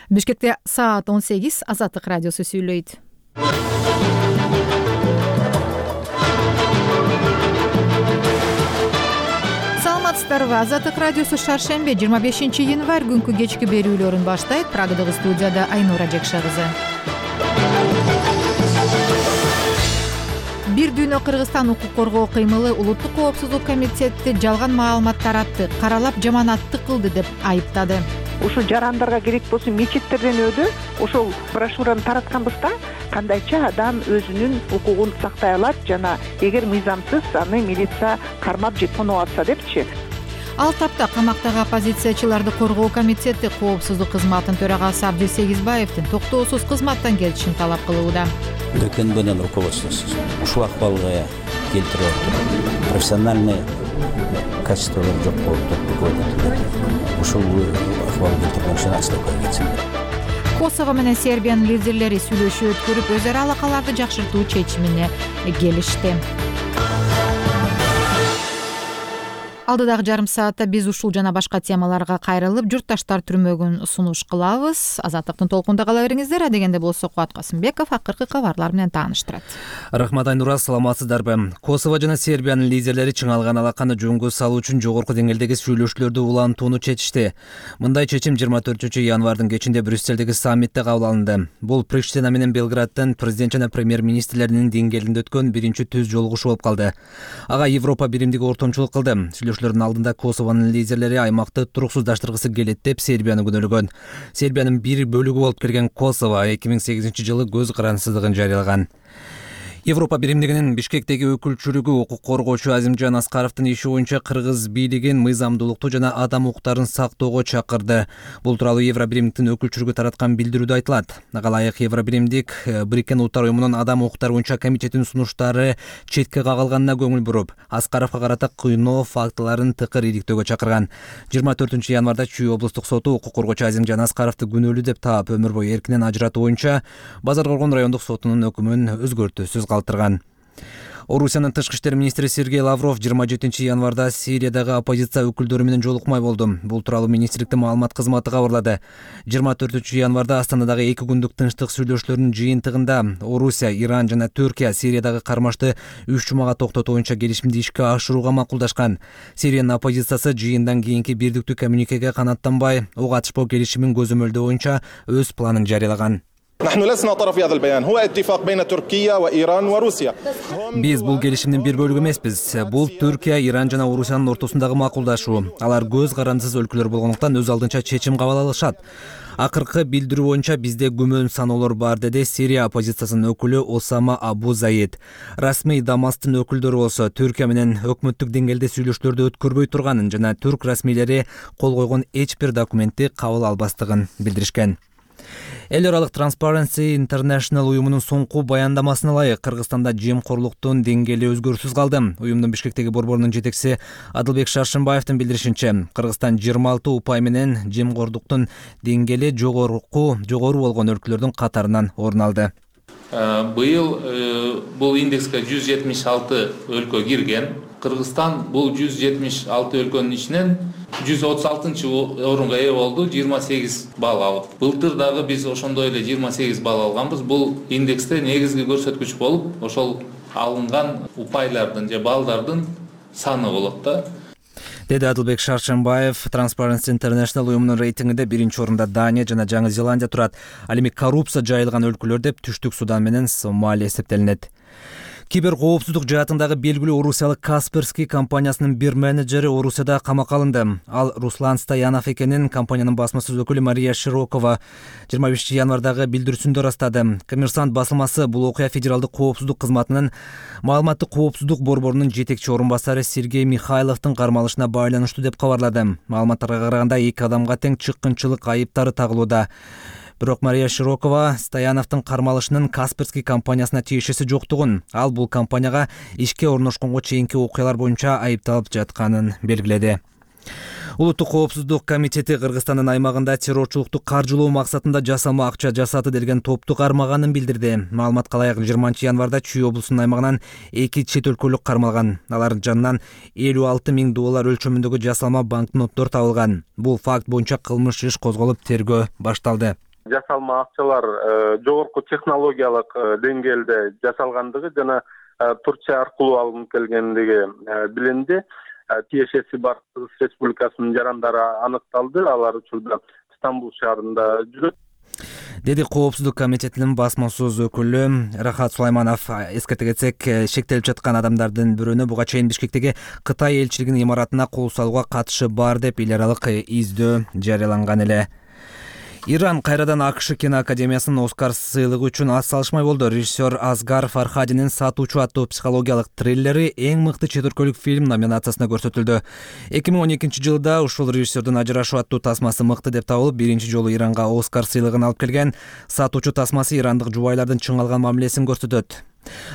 Бишкекте саат 18 Азаттык радиосу сүйлөйт. Саламатсыздарбы? Азаттык радиосу шаршембе 25 январь күнкү кечки берүүлөрүн баштайт. Прагадагы студияда Айнура Жекша кызы. Бир дүйнө Кыргызстан укук коргоо кыймылы Улуттук коопсуздук комитети жалган маалымат таратты, каралап жаманатты кылды деп айыптады. Ушул жарандарга керек болсо мечиттерден өдү ошол брошюраны таратканбызда кандайча адам өзүнүн укугун сактай алат жана эгер мыйзамсыз аны милиция кармап же тоноп атса депчи. Ал тапта камактагы оппозициячыларды коргоо комитети коопсуздук кызматынын төрагасы Абдил Сегизбаевдин токтоосуз кызматтан кетишин талап кылууда. ГКНБнын руководствосу ушул акыбалга келтирип атат. Профессиональный качестволор жок болуп турат. Ушул акыбал келтирген үчүн отставкага кетсин. Косово менен Сербиянын лидерлери сүйлөшүү өткөрүп, өз ара алакаларды жакшыртуу чечимине келишти. Алдыдагы жарым саатта биз ушул жана башка темаларга кайрылып, журтташтар түрмөгүн сунуш кылабыз. Азаттыктын толкунда кала бериңиздер. Адегенде болсо Кубат Касымбеков акыркы кабарлар менен тааныштырат. Рахмат Айнура, саламатсыздарбы? Косово жана Сербиянын лидерлери чыңалган алаканы жөнгө салуу үчүн жогорку деңгээлдеги сүйлөшүүлөрдү улантууну чечишти. Мындай чечим 24 январдын кечинде Брюссельдеги саммитте кабыл алынды. Бул Приштина менен Белградтын президент жана премьер-министрлеринин деңгээлинде өткөн биринчи түз жолугушуу болуп калды. Ага Европа биримдиги ортомчулук кылды. Сүйлөшүүлөрдүн алдында Косованын лидерлери аймакты туруксуздаштыргысы келет деп Сербияны күнөөлөгөн. Сербиянын бир бөлүгү болуп келген Косово 2008 жылы көз карансыздыгын жарыялаган. Европа биримдигинин Бишкектеги өкүлчүлүгү укук коргоочу Азимжан Аскаровдун иши боюнча кыргыз бийлигин мыйзамдуулукту жана адам укуктарын сактоого чакырды. Бул тууралуу Евро биримдиктин өкүлчүлүгү тараткан билдирүүдө айтылат. Ага ылайык Евро биримдик Бириккен Улуттар уюмунун адам укуктары боюнча комитетинин сунуштары четке кагылганына көңүл буруп, Аскаровго карата кыйноо фактыларын тыкыр иликтөөгө чакырган. 24 январда Чүй облустук соту укук коргоочу Азимжан Аскаровду күнөөлүү деп таап, өмүр бою эркинен ажыратуу боюнча Базар Коргон райондук сотунун өкүмүн өзгөртүүсүз калтырган. Орусиянын тышкы иштер министри Сергей Лавров 27 январда Сириядагы оппозиция өкүлдөрү менен жолукмай болду. Бул тууралуу министрликтин маалымат кызматы кабарлады. 24 январда Астанадагы 2 күндүк тынчтык сүйлөшүүлөрүнүн жыйынтыгында Орусия, Иран жана Түркия Сириядагы кармашты 3 жумага токтотуу боюнча келишимди ишке ашырууга макулдашкан. Сириянын оппозициясы жыйындан кийинки бирдиктүү коммюникеге канааттанбай, ок атышпоо келишимин көзөмөлдөө боюнча өз планын жарыялаган. Биз бул келишимдин бир бөлүгү эмеспиз. Бул Түркия, Иран жана Орусиянын ортосундагы макулдашуу. Алар көз карандысыз өлкөлөр болгондуктан өз алдынча чечим кабыл алышат. Акыркы билдирүү боюнча бизде күмөн саноолор бар, деди Сирия оппозициясынын өкүлү Осама Абу Заид. Расмий Дамастын өкүлдөрү болсо Түркия менен өкмөттүк деңгээлде сүйлөшүүлөрдү өткөрбөй турганын жана түрк расмийлери кол койгон эч бир документти кабыл албастыгын билдиришкен. Эл аралык Transparency International уюмунун соңку баяндамасына ылайык Кыргызстанда жемкорлуктун деңгээли өзгөрүүсүз калды. Уюмдун Бишкектеги борборунун жетекчиси Адылбек Шаршымбаевдин билдиришинче, Кыргызстан 26 упай менен жемкорлуктун деңгээли жогору болгон өлкөлөрдүн катарынан орун алды. Быйыл бул индекске 176 өлкө кирген. Кыргызстан бул 176 өлкөнүн ичинен 136 орунга ээ болду, 28 балл алып. Былтыр дагы биз ошондой эле 28 балл алганбыз. Бул индексте негизги көрсөткүч болуп, ошол алынган упайлардын же баллдардын саны болот да. Деди Адылбек Шаршымбаев. Transparency International уюмунун рейтингинде биринчи орунда Дания жана Жаңы Зеландия турат. Ал эми коррупция жайылган өлкөлөр деп Түштүк Судан менен Сомалия эсептелинет. Киберкоопсуздук жаатындагы белгилүү орусиялык Касперский компаниясынын бир менеджери Орусияда камакка алынды. Ал Руслан Стоянов экенин компаниянын басмасөз өкүлү Мария Широкова 25 январдагы билдирүүсүндө ырастады. Коммерсант басылмасы бул окуя федералдык коопсуздук кызматынын маалыматтык коопсуздук борборунун жетекчи орун басары Сергей Михайловдун кармалышына байланыштуу деп кабарлады. Маалыматтарга караганда 2 адамга тең чыккынчылык айыптары тагылууда. Бирок Мария Широкова Стояновдун кармалышынын Касперский компаниясына тиешеси жоктугун, ал бул компанияга ишке орношконго чейинки окуялар боюнча айыпталып жатканын белгиледи. Улуттук коопсуздук комитети Кыргызстандын аймагында террорчулукту каржылоо максатында жасалма акча жасады делген топту кармаганын билдирди. Маалыматка ылайык 20 январда Чүй облусунун аймагынан 2 чет өлкөлүк кармалган. Алардын жанынан $56 000 өлчөмүндөгү жасалма банкноттор табылган. Бул факт боюнча кылмыш иш козголуп, тергөө башталды. жасалма акчалар жогорку технологиялык деңгээлде жасалгандыгы жана Турция аркылуу алынып келгендиги билинди. Тиешеси бар Кыргыз Республикасынын жарандары аныкталды. Алар учурда Стамбул шаарында жүрөт, деди Коопсуздук комитетинин басма сөз өкүлү Рахат Сулайманов. Эскерте кетсек, шектелип жаткан адамдардын бирөөнө буга чейин Бишкектеги Кытай элчилигинин имаратына кол салууга катышы бар деп эл аралык издөө жарыяланган эле. Иран кайрадан АКШ киноакадемиясынын Оскар сыйлыгы үчүн ас салышмай болду. Режиссер Асгар Фархадинин «Сатуучу» аттуу психологиялык триллери эң мыкты чет өлкөлүк фильм номинациясына көрсөтүлдү. 2012 жылда ушул режиссердин «Ажырашуу» аттуу тасмасы мыкты деп табылып, биринчи жолу Иранга Оскар сыйлыгын алып келген. «Сатуучу» тасмасы ирандык жубайлардын чың алган мамилесин көрсөтөт.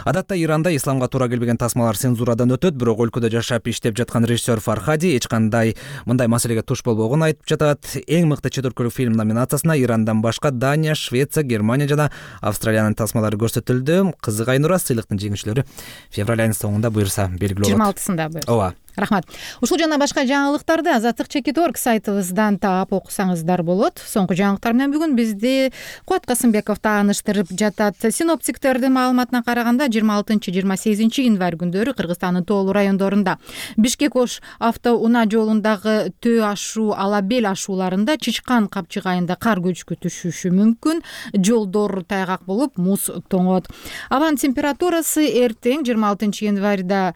Адатта Иранда исламга туура келбеген тасмалар цензурадан өтөт, бирок өлкөдө жашап иштеп жаткан режиссер Фархади эч кандай мындай маселеге туш болбогонун айтып жатат. Эң мыкты чет өлкөлүк фильм номинациясына Ирандан башка Дания, Швеция, Германия жана Австралиянын тасмалары көрсөтүлдү. Кызык Айнура, сыйлыктын жеңүүчүлөрү февраль айынын соңунда буюрса белгилүү болот. 26-сында буюрса. Ооба. Рахмат. Ушул жана башка жаңылыктарды Азаттык.org сайтыбыздан таап окусаңыздар болот. Соңку жаңылыктар менен бүгүн бизди Кубат Касымбеков тааныштырып жатат. Синоптиктердин маалыматына караганда 26-28 январь күндөрү Кыргызстандын тоолуу райондорунда Бишкек-Ош автоунаа жолундагы Төө ашуу, Алабел ашууларында Чычкан капчыгайында кар көчкү түшүшү мүмкүн. Жолдор тайгак болуп, муз тоңот. Абанын температурасы эртең 26 январда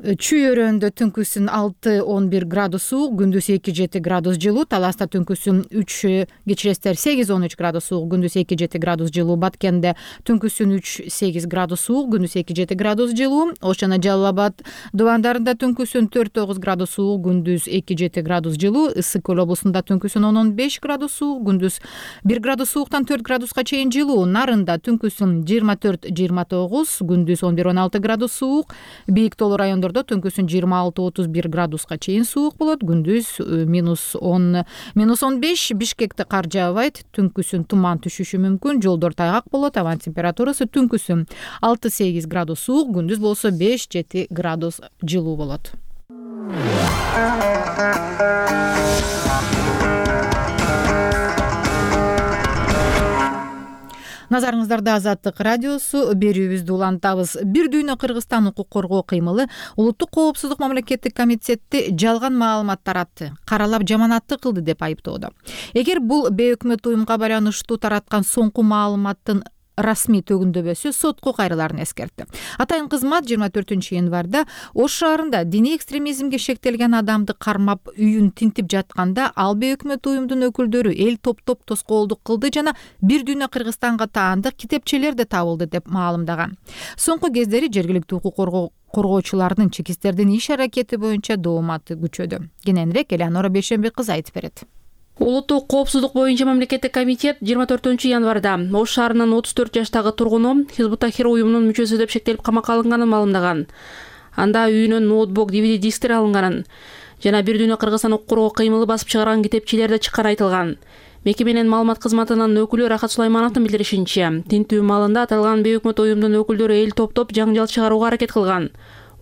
Чүй өрөөндө түнкүсүн 6-11 градус суук, күндүз 2-7 градус жылуу, Таласта түнкүсүн 3, кечиресиздер 8-13 градус суук, күндүз 2-7 градус жылуу, Баткенде түнкүсүн 3-8 градус суук, күндүз 2-7 градус жылуу, Ош жана Жалал Абад дубандарында түнкүсүн 4-9 градус суук, күндүз 2-7 градус жылуу, Ысык Көл облусунда түнкүсүн 10-15 градус суук, күндүз 1 градус сууктан 4 градуска чейин жылуу, Нарында түнкүсүн 24-29, күндүз 11-16 градус суук, Бийик тоолуу райондордо түнкүсүн 26-31 градуска чейин суук болот, күндүз -10, -15. Бишкекте кар жаабайт, түнкүсүн туман түшүшү мүмкүн, жолдор тайгак болот. Абанын температурасы түнкүсүн 6-8 градус суук, күндүз болсо 5-7 градус жылуу болот. Назарыңыздарда Азаттык радиосу, берүүбүздү улантабыз. Бир дүйнө Кыргызстан укук коргоо кыймылы Улуттук коопсуздук мамлекеттик комитетти жалган маалымат таратты, каралап жаманатты кылды деп айыптоодо. Эгер бул бейөкмөт уюмга байланыштуу тараткан соңку маалыматтын расмий төгүндөбөсү сотко кайрыларын эскертти. Атайын кызмат 24 январда Ош шаарында диний экстремизмге шектелген адамды кармап үйүн тинтип жатканда ал бейөкмөт уюмдун өкүлдөрү эл топтоп тоскоолдук кылды жана бир дүйнө Кыргызстанга таандык китепчелер да табылды деп маалымдаган. Соңку кездери жергиликтүү укук коргоочулардын чекистердин иш аракети боюнча дооматы күчөдү. Кененирээк Элеонора Бейшенбек кызы айтып берет. Улуттук коопсуздук боюнча мамлекеттик комитет 24 январда Ош шаарынын 34 жаштагы тургуну Хизбут-Тахрир уюмунун мүчөсү деп шектелип камакка алынганын маалымдаган. Анда үйүнөн ноутбук, DVD дисктер алынганын жана бир дүйнө Кыргызстан укук коргоо кыймылы басып чыгарган китепчелер да чыкканы айтылган. Мекеменин маалымат кызматынын өкүлү Рахат Сулаймановдун билдиришинче, тинтүү маалында аталган бейөкмөт уюмдун өкүлдөрү эл топтоп жаңжал чыгарууга аракет кылган.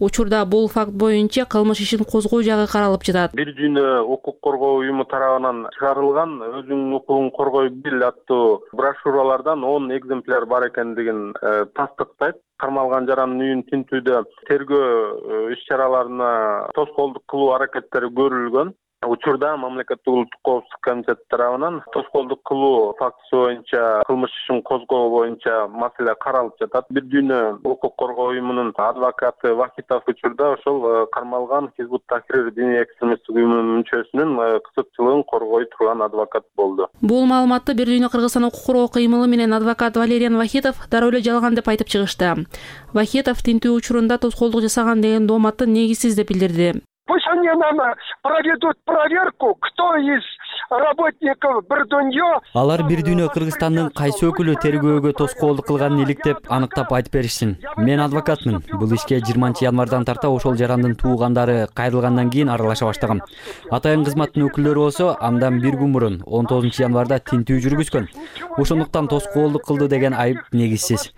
Учурда бул факт боюнча кылмыш ишин козгоо жагы каралып жатат. Бир дүйнө укук коргоо уюму тарабынан чыгарылган өзүңдүн укугуң коргой бил аттуу брошюралардан 10 экземпляр бар экендигин тастыктайт. Кармалган жарандын үйүн тинтүүдө тергөө иш-чараларына тоскоолдук кылуу аракеттери көрүлгөн. Учурда мамлекеттик улуттук коопсуздук комитети тарабынан тоскоолдук кылуу фактысы боюнча кылмыш ишин козгоо боюнча маселе каралып жатат. Бир дүйнө укук коргоо уюмунун адвокаты Вахитов учурда ошол кармалган Хизбут-Тахрир диний экстремисттик уюмунун мүчөсүнүн кызыкчылыгын коргой турган адвокат болду. Бул маалыматты бир дүйнө Кыргызстан укук коргоо кыймылы менен адвокат Валериан Вахитов дароо эле жалган деп айтып чыгышты. Вахитов тинтүү учурунда тоскоолдук жасаган деген дооматты негизсиз деп билдирди. Пусть они нам проведут проверку, кто из работников Бірдөнье. Алар бир дүйнө Кыргызстандын кайсы өкүлү тергөөгө тоскоолдук кылганын иликтеп, аныктап айтып беришсин. Мен адвокатмын. Бул ишке 20 январдан тарта ошол жарандын туугандары кайрылгандан кийин аралаша баштагам. Атайын кызматтын өкүлдөрү болсо андан бир күн мурун 19 январда тинтүү жүргүзгөн. Ошондуктан тоскоолдук кылды деген айып негизсиз.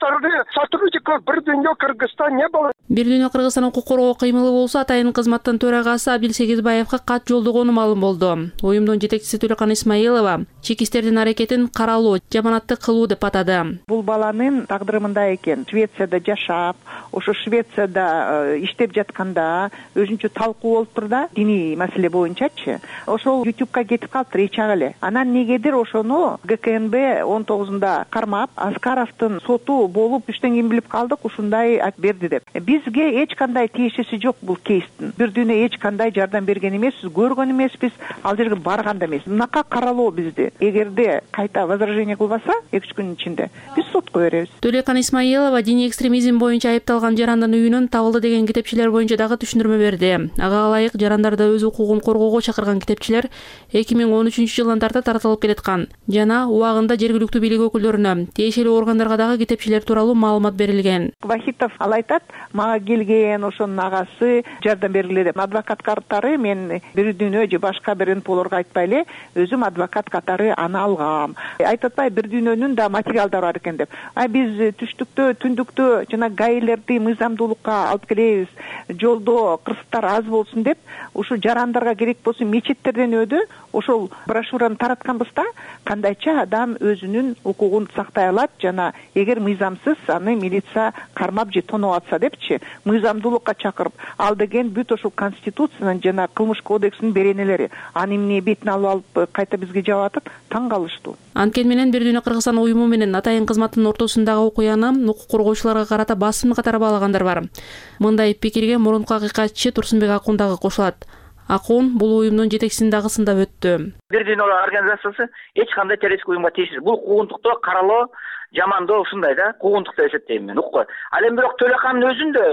жаштарды сотрудников бир дүйнө Кыргызстан не было. Бир дүйнө Кыргызстан укук коргоо кыймылы болсо атайын кызматтын төрагасы Абдилсегизбаевга кат жолдогону маалым болду. Уюмдун жетекчиси Төлөкан Исмаилова чек истердин аракетин каралоо, жаманаттык кылуу деп атады. Бул баланын тагдыры мындай экен. Швецияда жашап, ошо Швецияда иштеп жатканда өзүнчө талкуу болуп тур да, диний маселе боюнчачы. Ошол YouTube'га кетип калыптыр эч ак эле. Анан негедир ошону ГКНБ 19-да кармап, Аскаровдун соту болуп иштен кийин билип калдык, ушундай айтып берди деп. Бизге эч кандай тиешеси жок бул кейстин. Бир дүйнө эч кандай жардам берген эмеспиз, көргөн эмеспиз, ал жерге барган да эмес. Мынакка каралоо бизди. Эгерде кайта возражение кылбаса, 2-3 күнүн ичинде биз сотко беребиз. Төлөкан Исмаилова диний экстремизм боюнча айыпталган жарандын үйүнөн табылды деген китепчилер боюнча дагы түшүндүрмө берди. Ага ылайык жарандарды өз укугун коргоого чакырган китепчилер 2013-жылдан тарта тартылып келаткан жана убагында жергиликтүү бийлик өкүлдөрүнө, тиешелүү органдарга дагы китепчилер тууралуу маалымат берилген. Вахитов ал айтат, мага келген ошонун агасы жардам бергиле деп. Адвокат катары мен бир дүйнө же башка бир НПОлорго айтпай эле, өзүм адвокат катары аны алгам. Айтып атпай, бир дүйнөнүн да материалдары бар экен деп. Биз түштүктө, түндүктө жана гаилерди мыйзамдуулукка алып келебиз. Жолдо кырсыктар аз болсун деп, ушу жарандарга керек болсо мечеттерден өдү ошол брошюраны таратканбыз да, кандайча адам өзүнүн укугун сактай алат жана эгер мыйзамсыз аны милиция кармап же тоноп атса депчи, мыйзамдуулукка чакырып, ал деген бүт ошол конституциянын жана кылмыш кодексинин беренелери. Аны эмне бетине алып кайта бизге жабып атып, таң калыштуу. Анткени менен Бир дүйнө Кыргызстан уюму менен атайын кызматтын ортосундагы окуяны укук коргоочуларга карата басым катары баалагандар бар. Мындай пикирге мурунку акыйкатчы Турсунбек Акун дагы кошулат. Акун бул уюмдун жетекчисин дагы сындап өттү. Бир дүйнө организациясы эч кандай террористтик уюмга тийишсиз. Бул куугунтукту каралоо, жамандоо ушундай да, куугунтук деп эсептейм мен. Укпа. Ал эми бирок Төлөкандын өзүндө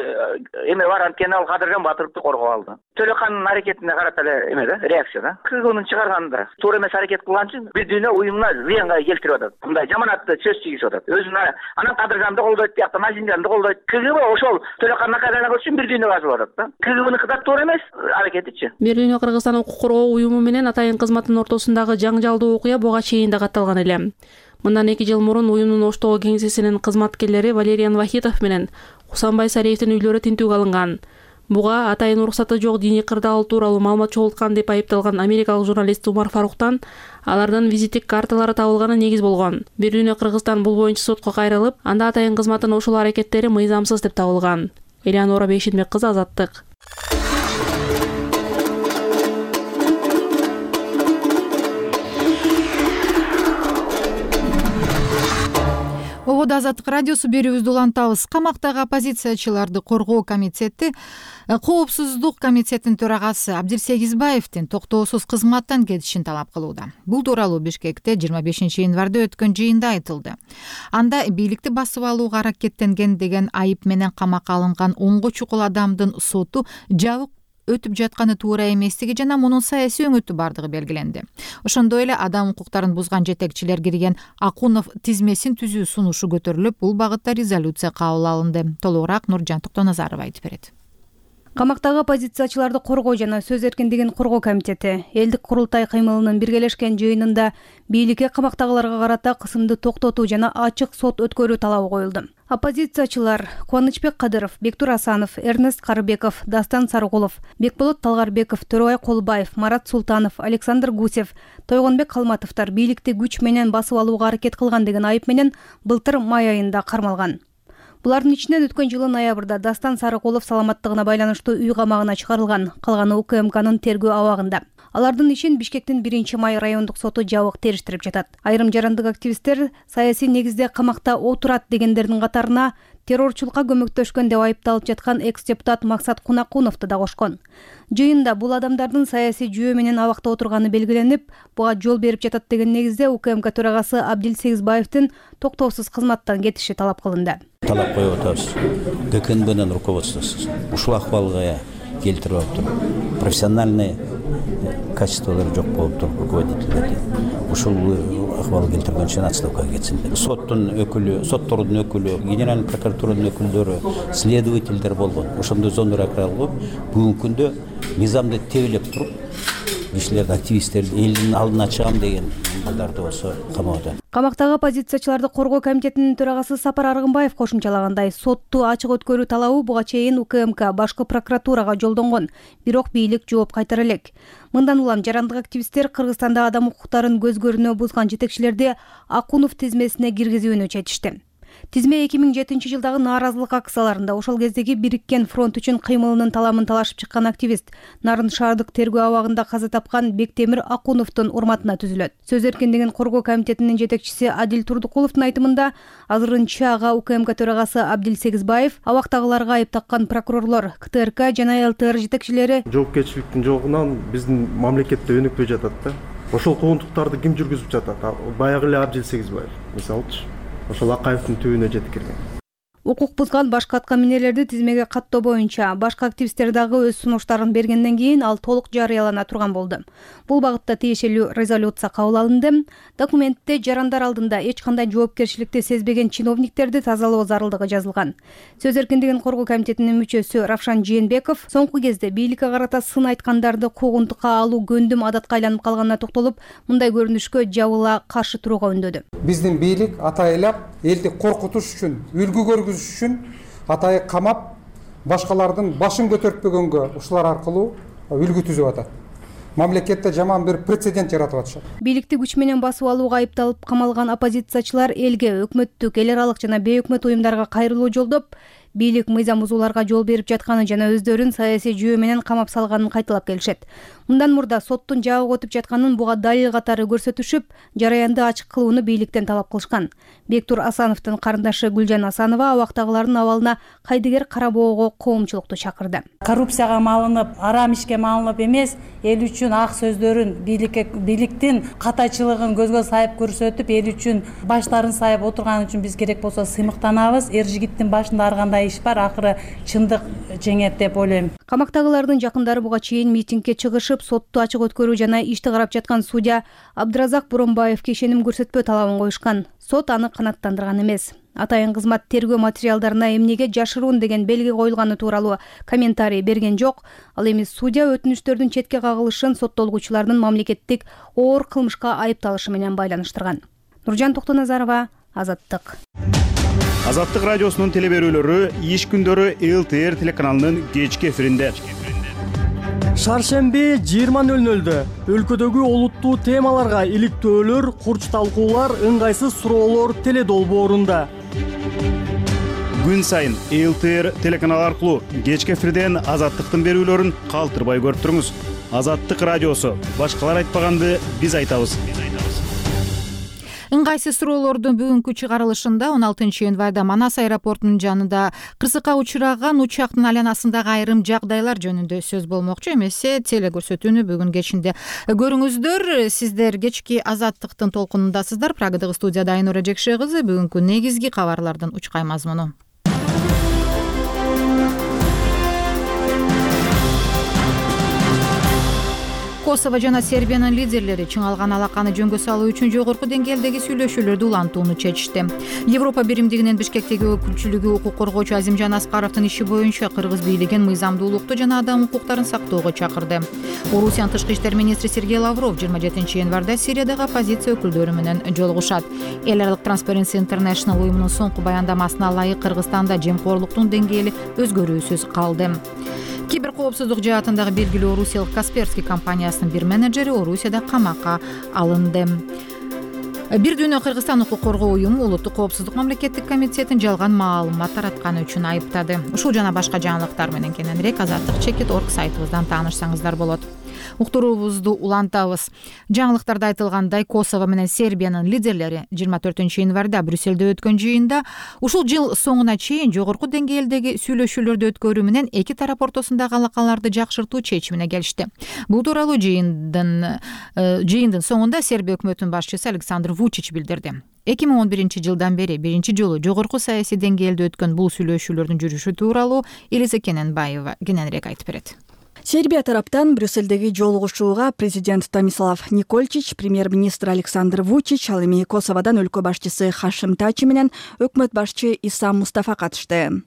эме бар, анткени ал Кадыржан Батыровду коргоп алды. Төлөкандын аракетине карата эле эме да, реакция да. КГБнын чыгарганда туура эмес аракет кылган үчүн бир дүйнө уюмуна зыянга келтирип атат. Мындай жаманатты сөз тийгизип атат. Өзүнө анан Кадыржанды колдойт, биякта Назимжанды колдойт. КГБ ошол Төлөкандын кайрана үчүн бир дүйнө жазып атат да. КГБныкы да туура эмес аракетичи. Бир дүйнө Кыргызстан укук коргоо уюму менен атайын кызматтын ортосундагы жаңжалдуу окуя буга чейин да катталган эле. Мындан 2 жыл мурун уюмдун Оштогу кеңсесинин кызматкерлери Валериан Вахитов менен Хусанбай Сариевдин үйлөрү тинтүүгө алынган. Буга атайын уруксаты жок диний кырдаал тууралуу маалымат чогулткан деп айыпталган америкалык журналист Умар Фаруктан алардын визиттик карталары табылганы негиз болгон. Бир дүйнө Кыргызстан бул боюнча сотко кайрылып, анда атайын кызматтын ошол аракеттери мыйзамсыз деп табылган. Элеонора Бейшенбек кызы, Азаттык. Ободо Азаттык радиосу берүүбүздү улантабыз. Камактагы оппозициячыларды коргоо комитети Коопсуздук комитетинин төрагасы Абдилсегизбаевдин токтоосуз кызматтан кетишин талап кылууда. Бул тууралуу Бишкекте 25-январда өткөн жыйында айтылды. Анда бийликти басып алууга аракеттенген деген айып менен камакка алынган 10 чукул адамдын соту жабык өтүп жатканы туура эместиги жана мунун саясий өңөтү бардыгы белгиленди. Ошондой эле адам укуктарын бузган жетекчилер кирген Акунов тизмесин түзүү сунушу көтөрүлүп, бул багытта резолюция кабыл алынды. Толугураак Нуржан Токтоназарова айтып берет. Камактагы оппозициячыларды коргоо жана сөз эркиндигин коргоо комитети элдик курултай кыймылынын биргелешкен жыйынында бийликке камактагыларга карата кысымды токтотуу жана ачык сот өткөрүү талабы коюлду. Оппозициячылар Кубанычбек Кадыров, Бектур Асанов, Эрнест Карыбеков, Дастан Сарыгулов, Бекболот Талгарбеков, Төрөбай Колубаев, Марат Султанов, Александр Гусев, Тойгонбек Калматовдор бийликти күч менен басып алууга аракет кылган деген айып менен былтыр май айында кармалган. Булардын ичинен өткөн жылы ноябрда Дастан Сарыгулов саламаттыгына байланыштуу үй камагына чыгарылган, калганы УКМКнын тергөө абагында. Алардын ишин Бишкектин 1-май райондук соту жабык териштирип жатат. Айрым жарандык активисттер саясий негизде камакта отурат дегендердин катарына террорчулукка көмөктөшкөн деп айыпталып жаткан экс-депутат Максат Кунакуновду да кошкон. Жыйында бул адамдардын саясий жүйө менен абакта отурганы белгиленип, буга жол берип жатат деген негизде УКМК төрагасы Абдилсегизбаевдин токтоосуз кызматтан кетиши талап кылынды. Талап коюп атабыз. ГКНБнын руководствосу ушул акыбалга келтирип атып, профессиональный качестволору жок болуп туруп руководительдерди. Ушул акыбал келтирген үчүн отставкага кетсин. Соттун өкүлү, соттордун өкүлү, генеральный прокуратуранын өкүлдөрү, следовательдер болгон. Ошондой зондор акыралып, бүгүнкү күндө мыйзамды тебелеп туруп, кишилерди, активисттерди элдин алдына чыгам деген балдарды болсо камоодо. Камактагы оппозициячыларды коргоо комитетинин төрагасы Сапар Аргынбаев кошумчалагандай, сотту ачык өткөрүү талабы буга чейин УКМК башкы прокуратурага жолдонгон, бирок бийлик жооп кайтара элек. Мындан улам жарандык активисттер Кыргызстанда адам укуктарын көзгөрүнө бузган жетекчилерди Акунов тизмесине киргизүүнү чечишти. Тизме 2007-жылдагы нааразылык акцияларында ошол кездеги Бириккен фронт үчүн кыймылынын таламын талашып чыккан активист Нарын шаардык тергөө абагында каза тапкан Бектемир Акуновдун урматына түзүлөт. Сөз эркиндигин коргоо комитетинин жетекчиси Адил Турдукуловдун айтымында, азырынча ага УКМК төрагасы Абдил Сегизбаев абактагыларга айып таккан прокурорлор, КТРК жана ЛТР жетекчилери жоопкерчиликтин жогунан биздин мамлекетте өнүкпөй жатат да. Ошол куугунтуктарды ким жүргүзүп жатат? Баягы эле Абдил Сегизбаев мисалычы. Ошол Акаевдин түбүнө жетип келген. Укук бузган башка аткаминерлерди тизмеге каттоо боюнча башка активисттер дагы өз сунуштарын бергенден кийин ал толук жарыялана турган болду. Бул багытта тиешелүү резолюция кабыл алынды. Документте жарандар алдында эч кандай жоопкерчиликти сезбеген чиновниктерди тазалоо зарылдыгы жазылган. Сөз эркиндигин коргоо комитетинин мүчөсү Равшан Жээнбеков соңку кезде бийликке карата сын айткандарды куугунтукка алуу көндүм адатка айланып калганына токтолуп, мындай көрүнүшкө жабыла каршы турууга үндөдү. Биздин бийлик атайлап элди коркутуш үчүн, үлгү көргүзүш үчүн атайы камап, башкалардын башын көтөртпөгөнгө ушулар аркылуу үлгү түзүп атат. Мамлекетте жаман бир прецедент жаратып атышат. Бийликти күч менен басып алууга айыпталып камалган оппозициячылар элге, өкмөттүк, эл аралык жана бейөкмөт уюмдарга кайрылуу жолдоп, бийлик мыйзам бузууларга жол берип жатканы жана өздөрүн саясий жүйө менен камап салганын кайталап келишет. Мындан мурда соттун жабык өтүп жатканын буга далил катары көрсөтүшүп, жараянды ачык кылууну бийликтен талап кылышкан. Бектур Асановдун карындашы Гүлжан Асанова абактагылардын абалына кайдыгер карабоого коомчулукту чакырды. Коррупцияга малынып, арам ишке малынып эмес, эл үчүн ак сөздөрүн, бийликтин катачылыгын көзгө сайып көрсөтүп, эл үчүн баштарын сайып отурган үчүн биз керек болсо сыймыктанабыз. Эр жигиттин башында ар кандай иш бар, акыры чындык жеңет деп ойлойм. Камактагылардын жакындары буга чейин митингге чыгышып, сотту ачык өткөрүү жана ишти карап жаткан судья Абдыразак Буронбаевге ишеним көрсөтпөө талабын коюшкан. Сот аны канааттандырган эмес. Атайын кызмат тергөө материалдарына эмнеге жашыруун деген белги коюлганы тууралуу комментарий берген жок. Ал эми судья өтүнүштөрдүн четке кагылышын соттолгучулардын мамлекеттик оор кылмышка айыпталышы менен байланыштырган. Нуржан Токтоназарова, Азаттык. Азаттык радиосунун телеберүүлөрү иш күндөрү ЛТР телеканалынын кечки эфиринде. Шаршемби 20:00 өлкөдөгү олуттуу темаларга иликтөөлөр, курч талкуулар, ыңгайсыз суроолор теледолбоорунда. Күн сайын ЛТР телеканалы аркылуу кечки эфирден Азаттыктын берүүлөрүн калтырбай көрүп туруңуз. Азаттык радиосу. Башкалар айтпаганды биз айтабыз. Ыңгайсыз суроолордун бүгүнкү чыгарылышында 16 январда Манас аэропортунун жанында кырсыкка учураган учактын айланасындагы айрым жагдайлар жөнүндө сөз болмокчу. Эмесе телекөрсөтүүнү бүгүн кечинде көрүңүздөр. Сиздер кечки Азаттыктын толкунундасыздар. Прагадагы студияда Айнура Жекше кызы. Бүгүнкү негизги кабарлардын учкай мазмуну. Косово жана Сербиянын лидерлери чыңалган алаканы жөнгө салуу үчүн жогорку деңгээлдеги сүйлөшүүлөрдү улантууну чечишти. Европа биримдигинин Бишкектеги өкүлчүлүгү укук коргоочу Азимжан Аскаровдун иши боюнча кыргыз бийлигин мыйзамдуулукту жана адам укуктарын сактоого чакырды. Орусиянын тышкы иштер министри Сергей Лавров 27 январда Сириядагы оппозиция өкүлдөрү менен жолугушат. Эл аралык Transparency International уюмунун соңку баяндамасына ылайык Кыргызстанда жемкорлуктун деңгээли өзгөрүүсүз калды. Киберкоопсуздук жаатындагы белгилүү орусиялык Касперский компаниясынын бир менеджери Орусияда камакка алынды. Бир дүйнө Кыргызстан укук коргоо уюму улуттук коопсуздук мамлекеттик комитетин жалган маалымат таратканы үчүн айыптады. Ушул жана башка жаңылыктар менен кененирээк azattik.org сайтыбыздан таанышсаңыздар болот. Уктуруубузду улантабыз. Жаңылыктарда айтылгандай, Косово менен Сербиянын лидерлери 24 январда Брюссельде өткөн жыйында ушул жыл соңуна чейин жогорку деңгээлдеги сүйлөшүүлөрдү өткөрүү менен эки тарап ортосундагы алакаларды жакшыртуу чечимине келишти. Бул тууралуу жыйындын соңунда Сербия өкмөтүнүн башчысы Александр Вучич билдирди. 2011 жылдан бери биринчи жолу жогорку саясий деңгээлде өткөн бул сүйлөшүүлөрдүн жүрүшү тууралуу Элиза Кененбаева кененирээк айтып берет. Сербия тараптан Брюссельдеги жолугушууга президент Томислав Никольчич, премьер-министр Александр Вучич, ал эми Косоводон өлкө башчысы Хашим Тачи менен өкмөт башчы Исам Мустафа катышты.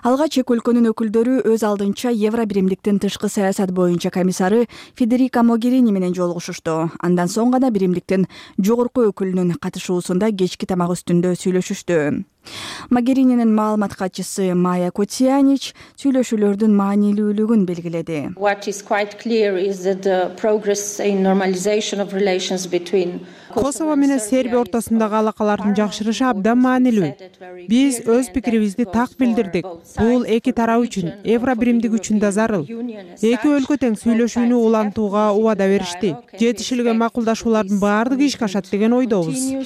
Алгач эки өлкөнүн өкүлдөрү өз алдынча Евро биримдиктин тышкы саясат боюнча комиссары Федерика Могерини менен жолугушушту. Андан соң гана биримдиктин жогорку өкүлүнүн катышуусунда кечки тамак үстүндө сүйлөшүштү. Могерининин маалымат катчысы Майя Котиянич сүйлөшүүлөрдүн маанилүүлүгүн белгиледи. Косово менен Сербия ортосундагы алакалардын жакшырышы абдан маанилүү. Биз өз пикирибизди так билдирдик. Бул эки тарап үчүн, Евро биримдик үчүн да зарыл. Эки өлкө тең сүйлөшүүнү улантууга убада беришти. Жетишилген макулдашуулардын баардыгы ишке ашат деген ойдобуз.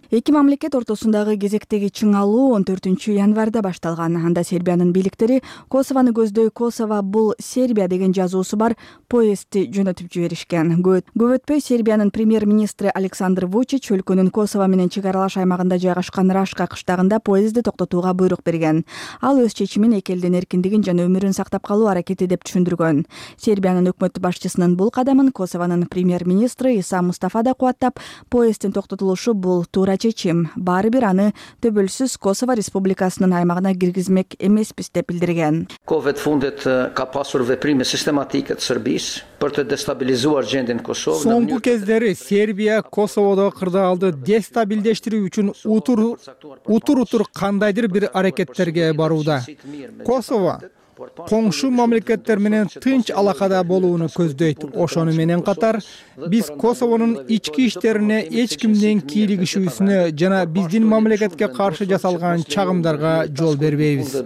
Эки мамлекет ортосундагы кезектеги чыңалуу 14 январда башталган. Анда Сербиянын бийликтери Косовону көздөй Косово бул Сербия деген жазуусу бар поездди жөнөтүп жиберишкен. Көп өтпөй Сербиянын премьер-министри Александр Вучич өлкөнүн Косово менен чек аралаш аймагында жайгашкан Рашка кыштагында поездди токтотууга буйрук берген. Ал өз чечимин эки элдин эркиндигин жана өмүрүн сактап калуу аракети деп түшүндүргөн. Сербиянын өкмөт башчысынын бул кадамын Косовонун премьер-министри Иса Мустафа да кубаттап, поезддин токтотулушу бул туура чечим. Баары бир аны төбөлсүз Косово республикасынын аймагына киргизмек эмеспиз деп билдирген. Соңку кездери Сербия Косоводо кырдаалды дестабилдештирүү үчүн утур кандайдыр бир аракеттерге барууда. Косово коңшу мамлекеттер менен тынч алакада болууну көздөйт. Ошону менен катар биз Косовонун ички иштерине эч кимдин кийлигишүүсүнө жана биздин мамлекетке каршы жасалган чагымдарга жол бербейбиз.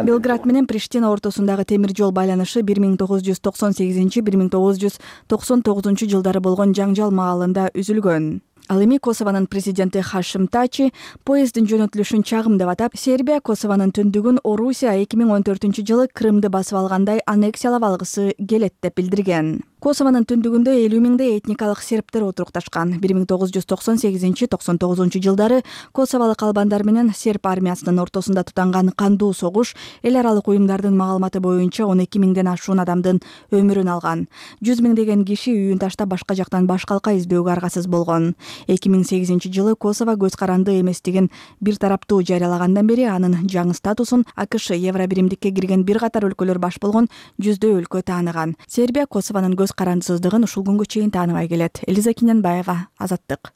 Белград менен Приштина ортосундагы темир жол байланышы 1988-1999 жылдары болгон жаңжал маалында үзүлгөн. Ал эми Косовонун президенти Хашим Тачи поезддин жөнөтүлүшүн чагым деп атап, Сербия Косовонун түндүгүн Орусия 2014 жылы Крымды басып алгандай аннексиялап алгысы келет деп билдирген. Косовонун түндүгүндө 50 миңдей этникалык сербтер отурукташкан. 1998-99 жылдары косоволук албандар менен серб армиясынын ортосунда тутанган кандуу согуш эл аралык уюмдардын маалыматы боюнча 12 миңден ашуун адамдын өмүрүн алган. 100 миңдеген киши үйүн таштап башка жактан баш калка издөөгө аргасыз болгон. 2008 жылы Косово көз каранды эместигин бир тараптуу жарыялагандан бери анын жаңы статусун АКШ Евро биримдикке кирген бир катар өлкөлөр баш болгон 100дөй өлкө тааныган. Сербия Косовонун көз карандысыздыгын ушул күнгө чейин тааныбай келет. Элиза Киненбаева, Азаттык.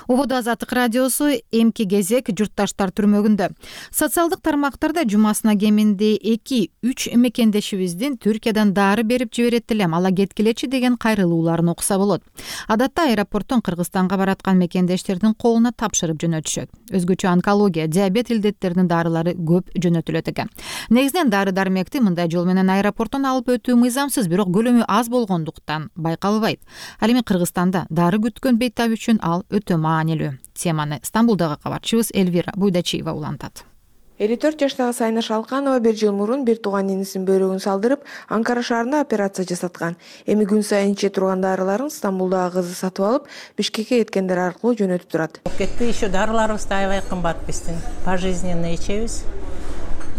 Ободо Азаттык радиосу эмки кезек журтташтар түрмөгүндө. Социалдык тармактарда жумасына кеминде 2-3 мекендешибиздин Түркиядан дары берип жиберет элем, ала кеткилечи деген кайрылууларын окуса болот. Адатта аэропорттон Кыргызстанга бараткан мекендештердин колуна тапшырып жөнөтүшөт. Өзгөчө онкология, диабет илдеттеринин дарылары көп жөнөтүлөт экен. Негизинен дары-дармекти мындай жол менен аэропорттон алып өтүү мыйзамсыз, бирок көлөмү аз болгондуктан байкалбайт. Ал эми Кыргызстанда дары күткөн бейтап үчүн ал өтө маанилүү. Теманы Стамбулдагы кабарчыбыз Элвира Буйдачиева улантат. 54 жаштагы Сайна Шалканова бир жыл мурун бир тууган инисинин бөйрөгүн салдырып, Анкара шаарында операция жасаткан. Эми күн сайын иче турган дарыларын Стамбулдагы кызы сатып алып, Бишкекке кеткендер аркылуу жөнөтүп турат. Кетти еще дарыларыбыз да аябай кымбат биздин. Пожизненно ичебиз.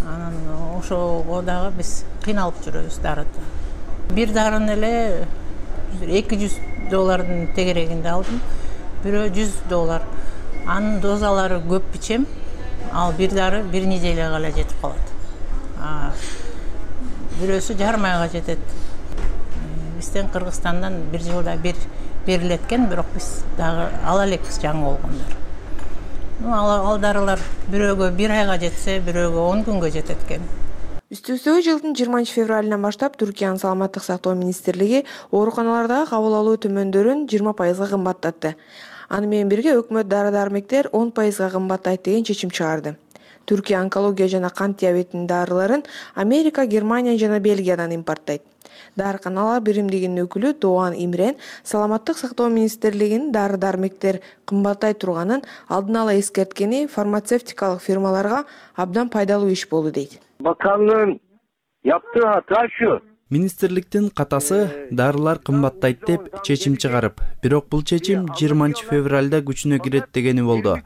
Анан ошого дагы биз кыйналып жүрөбүз дарыда. Бир дарыны эле $200 тегерегинде алдым. Бирөө $100. Анын дозалары көп ичем. Ал бир дары бир неделяга эле жетип калат. Бирөөсү жарым айга жетет. Бизден Кыргызстандан бир жылда бир берилет экен, бирок биз дагы ала элекпиз жаңы болгондор. Ал дарылар бирөөгө бир айга жетсе, бирөөгө 10 күнгө жетет экен. Үстүбүздөгү жылдын 20 февралынан баштап Түркиянын саламаттык сактоо министрлиги ооруканалардагы кабыл алуу төмөндөрүн 20% кымбаттатты. Аны менен бирге өкмөт дары-дармектер 10% кымбаттайт деген чечим чыгарды. Түркия онкология жана кант диабетинин дарыларын Америка, Германия жана Бельгиядан импорттойт. Дарыканалар биримдигинин өкүлү Doğan Имрен саламаттык сактоо министрлигинин дары-дармектер кымбаттай турганын алдын ала эскерткени фармацевтикалык фирмаларга абдан пайдалуу иш болду дейт. Bakanlığın yaptığı hata şu, Министрликтин катасы дарылар кымбаттайт деп чечим чыгарып, бирок бул чечим 20 февралда күчүнө кирет дегени болду.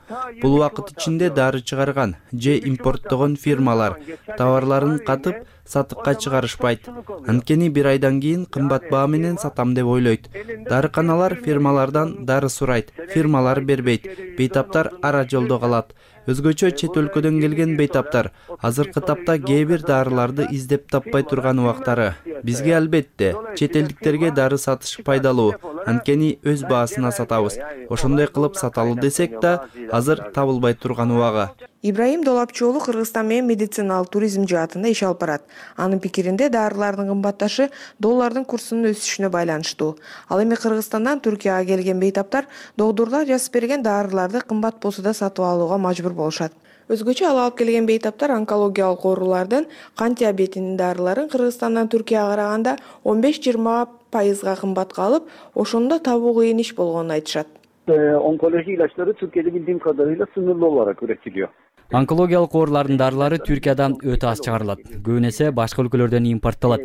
Бул убакыт ичинде дары чыгарган же импорттогон фирмалар товарларын катып сатыкка чыгарышпайт. Анткени бир айдан кийин кымбат баа менен сатам деп ойлойт. Дарыканалар фирмалардан дары сурайт, фирмалар бербейт. Бейтаптар ара жолдо калат. Өзгөчө чет өлкөдөн келген бейтаптар азыркы тапта кээ бир дарыларды издеп таппай турган убактары. Бизге албетте чет элдиктерге дары сатыш пайдалуу, анткени өз баасына сатабыз. Ошондой кылып саталы десек да, азыр табылбай турган убагы. Ибраим Долапчы уулу Кыргызстан менен медициналык туризм жаатында иш алып барат. Анын пикиринде дарылардын кымбатташы доллардын курсунун өсүшүнө байланыштуу. Ал эми Кыргызстандан Түркияга келген бейтаптар доктурлар жазып берген дарыларды кымбат болсо да сатып алууга мажбур болушат. Өзгөчө ал алып келген бейтаптар онкологиялык оорулардын кант диабетинин дарыларын Кыргызстандан Түркияга караганда 15-20% кымбатка алып, ошондо табуу кыйын иш болгонун айтышат. Onkoloji ilaçları Türkiye'de bildiğim kadarıyla sınırlı olarak üretiliyor. Онкологиялык оорулардын дарылары Түркиядан өтө аз чыгарылат. Көбүн эсе башка өлкөлөрдөн импорттолот.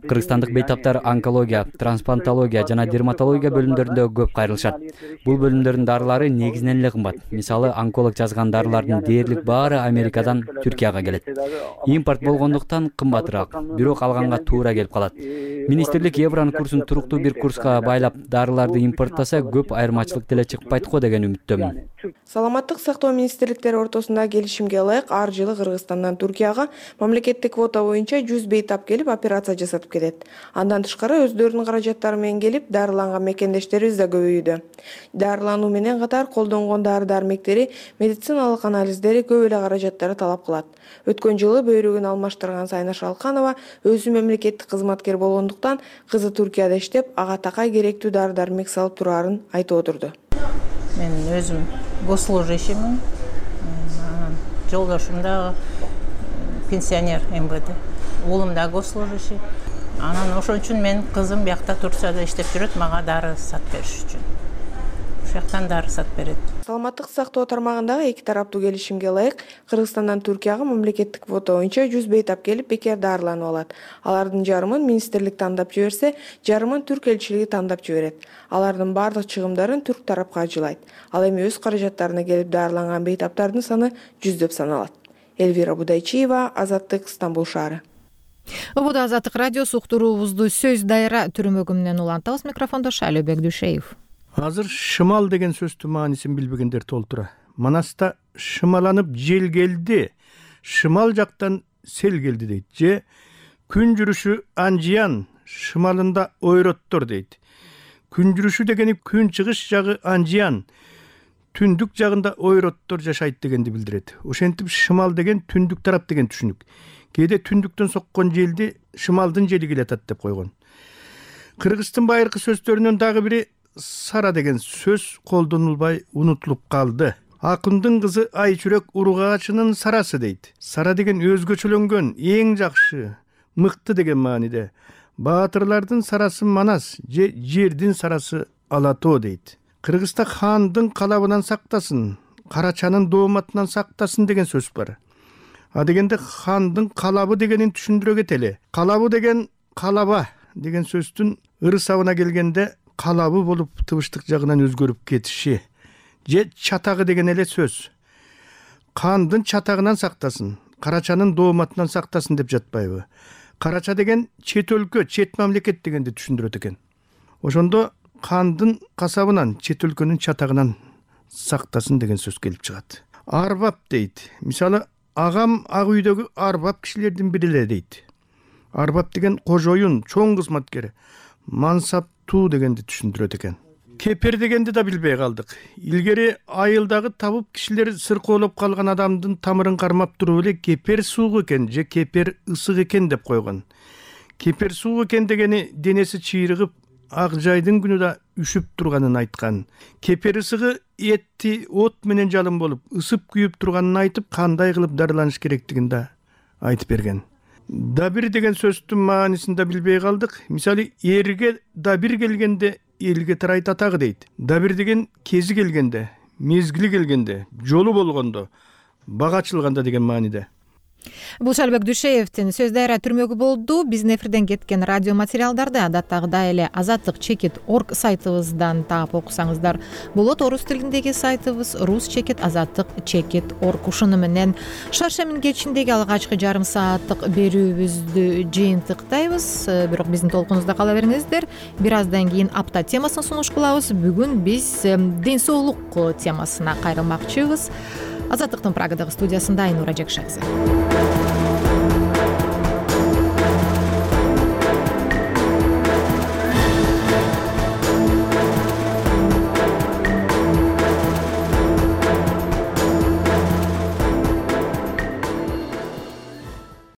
Кыргызстандык бейтаптар онкология, трансплантология жана дерматология бөлүмдөрүндө көп кайрылышат. Бул бөлүмдөрдүн дарылары негизинен эле кымбат. Мисалы, онколог жазган дарылардын дээрлик баары Америкадан Түркияга келет. Импорт болгондуктан кымбатыраак, бирок алганга туура келип калат. Министрлик евронун курсун туруктуу бир курска байлап дарыларды импорттаса көп айырмачылык деле чыкпайт го деген үмүттөмүн. Саламаттык сактоо министрликтери ортосунда келишимге ылайык ар жылы Кыргызстандан Түркияга мамлекеттик квота боюнча 100 бейтап келип операция жасатып кетет. Андан тышкары өздөрүнүн каражаттары менен келип дарыланган мекендештерибиз да көбөйдү. Дарылануу менен катар колдонгон дары-дармектери, медициналык анализдери көп эле каражаттары талап кылат. Өткөн жылы бөйрөгүн алмаштырган Сайнаш Алканова өзү мемлекеттик кызматкер болгондуктан кызы Түркияда иштеп, ага такай керектүү дары-дармек салып турарын айтып отурду. Мен өзүм госслужащиймин. Жолдошум да пенсионер МВД. Уулум да госслужащий. Анан ошон үчүн мен кызым биякта Турцияда иштеп жүрөт, мага дары сатып бериш үчүн. Ошол жактан дары сатып берет. Саламаттык сактоо тармагындагы эки тараптуу келишимге ылайык Кыргызстандан Түркияга мамлекеттик квота боюнча 100 бейтап келип бекер дарыланып алат. Алардын жарымын министрлик тандап жиберсе, жарымын Түрк элчилиги тандап жиберет. Алардын бардык чыгымдарын түрк тарапка ажылайт. Ал эми өз каражаттарына келип дарыланган бейтаптардын саны 100 деп саналат. Элвира Будайчиева, Азаттык, Стамбул шаары. Убуда Азаттык радиосу уктуруубузду сөз дайра түрмөгү менен улантабыз. Микрофондо Шайлөбек Дүйшеев. Азыр шымал деген сөздүн маанисин билбегендер толтура. Манаста шымаланып жел келди, шымал жактан сел келди дейт. Же күн жүрүшү анжиян, шымалында ойроттор дейт. Күн жүрүшү дегени күн чыгыш жагы анжиян, түндүк жагында ойроттор жашайт дегенди билдирет. Ошентип шымал деген түндүк тарап деген түшүнүк. Кээде түндүктөн соккон желди шымалдын жели келатат деп койгон. Кыргыздын байыркы сөздөрүнөн дагы бири сара деген сөз колдонулбай унутулуп калды. Акындын кызы Айчүрөк уругачынын сарасы дейт. Сара деген өзгөчөлөнгөн, эң жакшы, мыкты деген мааниде. Баатырлардын сарасы Манас же жердин сарасы Алатоо дейт. Кыргызда хандын калабынан сактасын, карачанын дооматынан сактасын деген сөз бар. А дегенде хандын калабы дегенин түшүндүрө кетели. Калабы деген калаба деген сөздүн ырысабына келгенде калабы болуп тыбыштык жагынан өзгөрүп кетиши. Же чатагы деген эле сөз. Хандын чатагынан сактасын, карачанын дооматынан сактасын деп жатпайбы? Карача деген чет өлкө, чет мамлекет дегенди түшүндүрөт экен. Ошондо хандын касабынан, чет өлкөнүн чатагынан сактасын деген сөз келип чыгат. Арбап дейт. Мисалы, агам ак үйдөгү арбап кишилердин бири эле дейт. Арбап деген кожоюн, чоң кызматкер, мансаптуу дегенди түшүндүрөт экен. Кепер дегенди да билбей калдык. Илгери айылдагы табып кишилер сыркоолоп калган адамдын тамырын кармап туруп эле кепер суук экен же кепер ысык экен деп койгон. Кепер суук экен дегени денеси чыйрыгып, ак жайдын күнү да үшүп турганын айткан. Кепер ысыгы этти от менен жалын болуп, ысып күйүп турганын айтып, кандай кылып дарыланыш керектигин да айтып берген. Дабир деген сөздүн маанисин да билбей калдык. Мисалы, эрге дабир келгенде элге тарайт атагы дейт. Дабир деген кези келгенде, мезгили келгенде, жолу болгондо, бага ачылганда деген мааниде. Бул Шалбек Дүйшеевдин сөз дайра түрмөгү болду. Биздин эфирден кеткен радио материалдарды адаттагыдай эле azatlyk.org сайтыбыздан таап окусаңыздар болот. Орус тилиндеги сайтыбыз rus.azatlyk.org. Ушуну менен шаршемин кечиндеги алгачкы жарым сааттык берүүбүздү жыйынтыктайбыз. Бирок биздин толкунубузда кала бериңиздер. Бир аздан кийин апта темасын сунуш кылабыз. Бүгүн биз ден соолук темасына кайрылмакчыбыз. Азаттыктын Прагадагы студиясында Айнура Жекшекзи.